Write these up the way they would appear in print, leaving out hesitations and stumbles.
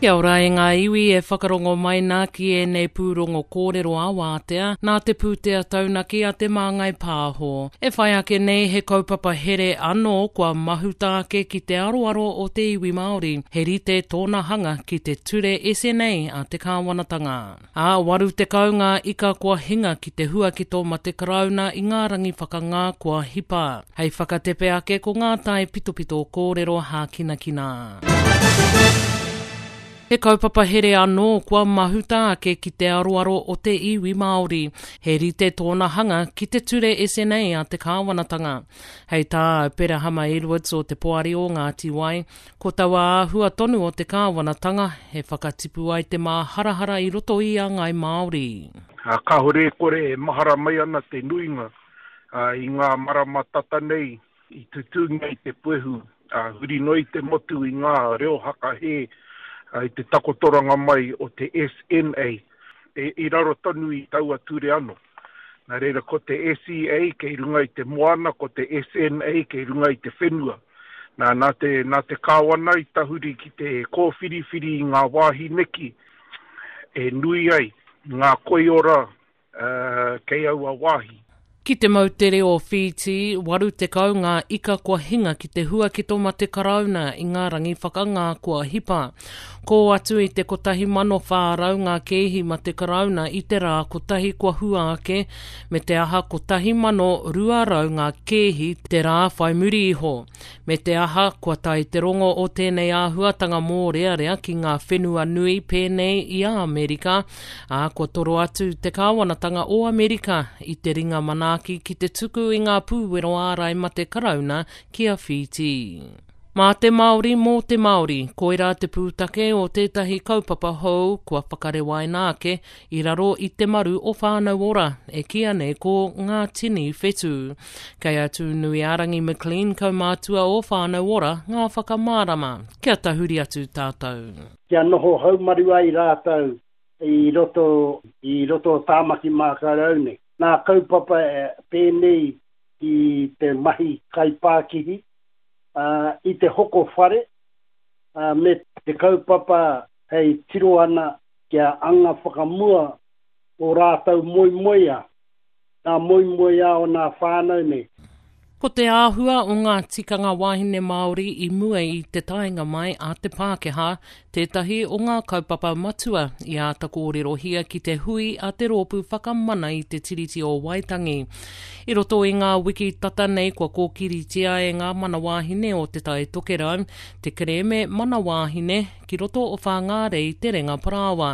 Kia ora e ngā iwi e whakarongo mai nā ki ēnei pūrongo kōrero ā-wātea nā te pūtea taunaki a Te Māngai Pāho. E whai ake nei he kaupapa here anō kua mahuta ake ki te aroaro o te iwi Māori, he rite tōna hanga ki te ture SNA a te kāwanatanga. Ā, 80 ngā ika kua hinga ki te huakito ma te Karauna i ngā rangi whakangā kua hipa. Hei whakatepe ake ko ngā tae pitopito kōrero hākinakina. He kaupapa here anō kua mahuta ake ki te aroaro o te iwi Māori. He rite tōna hanga ki te ture SNA a te kāwanatanga. Hei tā Aperahama Edwards o Te Poari o Ngāti Wai, ko taua āhua tonu o te kāwanatanga e whakatipu ai te māharahara i roto i a Ngāi Māori. Kāore e kore e mahara mai ana te nuinga i ngā marama tata nei i tutūngia i te puehu huri noa i te motu i ngā reo hakahē i te takotoranga mai o te SNA i raro tonu i taua ture anō. Nā reira ko te SEA kei runga i te moana, ko te SNA kei runga i te whenua. Nā, nā te, nā te Kāwana i tahuri ki te kōwhiriwhiri i ngā wāhi neki e nui ai ngā koiora kei aua wāhi. Ki te moutere o Whītī, 80 ngā ika kua hinga ki te huaketo ma te Karauna i ngā rangi whakangā kua hipa. Kō atu i te 1,400 ngā kēhi ma te Karauna i te rā kotahi kua hua ake, me te aha 1,200 ngā kēhi te rā whai muri iho. Me te aha, kua tae te rongo o tēnei āhuatanga mōrearea ki ngā whenua nui pēnei i a Amerika, ā, kua toro atu te kāwanatanga o Amerika i te ringa manaaki ki te tuku i ngā pūwero ārai mate Karauna ki a Whītī. Mā te Māori, mō te Māori, koirā te pūtake o tētahi kaupapa hou kua whakarewaina ake i raro i te maru o Whānau Ora, e kīia nei ko Ngā Tini Whetū. Kei a Tūnuiārangi McLean, kaumātua o Whānau Ora, ngā whakamārama. Kia tahuri atu tātou. Kia noho haumaru ai rātou i roto i roto o Tāmaki Mākarau nei. Nā kaupapa pēnei i te mahi kaipākihi, i te hoko whare, me te kaupapa hei tiro ana kia anga whakamua ō rātou moemoeā. Ngā moemoeā o nā whānau nei. Ko te āhua o ngā tikanga wāhine Māori i mua i te taenga mai a te Pākehā tētahi o ngā kaupapa matua i āta kōrerohia ki te hui a te Rōpū Whakamana i te Tiriti o Waitangi. I roto i ngā wiki tata nei kua kōkiritia e ngā mana wāhine o Te Tai Tokerau te kerēme Mana Wāhine ki roto o Whāngārei Te Renga Parāoa.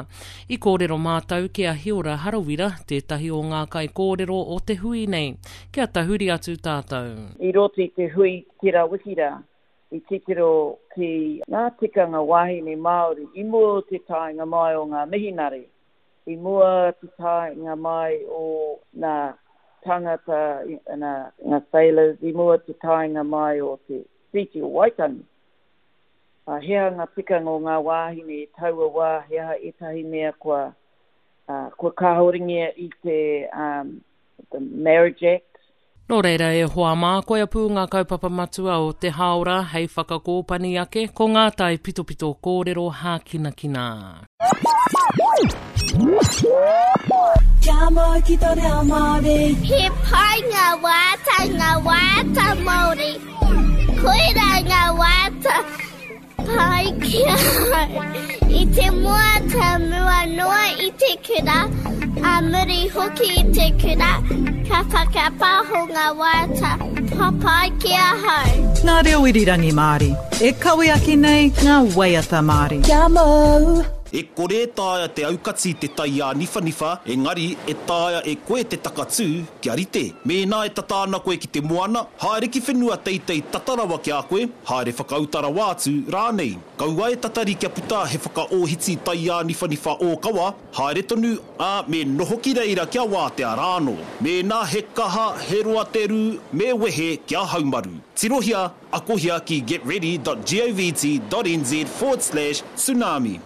I kōrero mātou ki a Hiora Harawira, tētahi o ngā kaikōrero o te hui nei. Kia tahuri atu tātou. I roto i te hui tērā wiki rā, i titiro ki ngā tikanga wāhine Māori i mua o te taenga mai o ngā mihinare, i mua te taenga mai o ngā tāngata, ngā sailors, i mua te taenga mai o te Treaty o Waitangi. Ā, he aha ngā tikanga o ngā wāhine i taua wā, he aha ētahi mea kua, ā, kua kāhorengia i te, um, the Marriage Act? Nō reira e hoa mā, koia pū ngā kaupapa matua o te hāora hei whakakōpani ake ko ngā taipitopito kōrero hākinakina. Kia mau ki tō reo Māori. He pai ngā waiata, ngā waiata Māori. Koirā ngā waiata pai ki ahau. I te moata mua noa i te kura, a muri hoki i te kura, ka whakapāho ngā waiata papai ki ahau. Ngā reo irirangi Māori, e kawe ake nei ngā waiata Māori. Kia mau! E kore e taea te aukati te tai āniwhaniwha, engari e taea e koe te takatū kia rite. Mēnā e tata ana koe ki te moana, haere ki whenua teitei tata rawa ki a koe, haere whakauta rawa atu rānei. Kaua e tatari kia puta he whakaōhiti taiāniwhaniwha ōkawa, haere tonu, ā, me noho ki reira kia wātea rānō. Mēnā he kaha, he roa te rū, me wehe kia haumaru. Tirohia, akohia ki getready dot govt dot nz forward slash tsunami.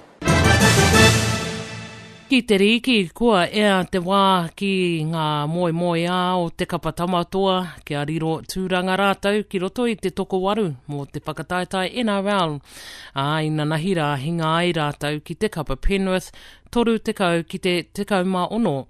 Ki te rīki, kua ea te wā ki ngā moemoeā o te kapa Tamatoa kia riro tūranga rātou ki roto i te tokowaru mō te whakataetae NRL, ā, inanahi rā hinga ai rātou ki te kapa Penrith 30 ki te 16.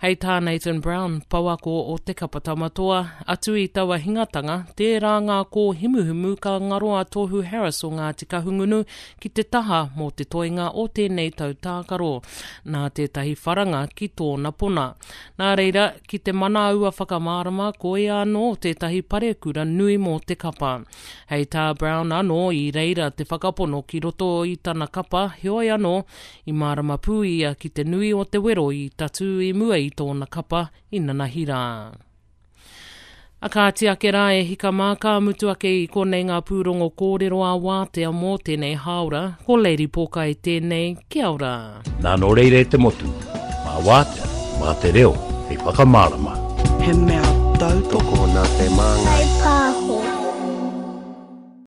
Hei tā Nathan Brown, pouako o te kapa Tamatoa, atu i taua hingatanga, tērā ngā kōhimuhimu ka ngaro a Tohu Harris o Ngāti Kahungunu ki te taha mō te toenga o tēnei tau tākaro, nā tētahi wharanga ki tōna pona. Nā reira, ki te mana aua whakamārama, koia anō tētahi parekura nui mō te kapa. Hei tā Brown anō, i reira te whakapono ki roto i tana kapa, heoi anō, i mārama pū ia ki te nui o te wero i tatū i mua i tōna kapa i nanahi rā. A kāti ake rā e hika mā, ka mutu ake i konei ngā pūrongo kōrero ā wātea mō tēnei hāora. Ko Lady Pōkai tēnei, kia ora. Nā nō reira e te motu, mā wātea, mā te reo hei whakamārama. He mea tautoko nā te māngai. Whai pā.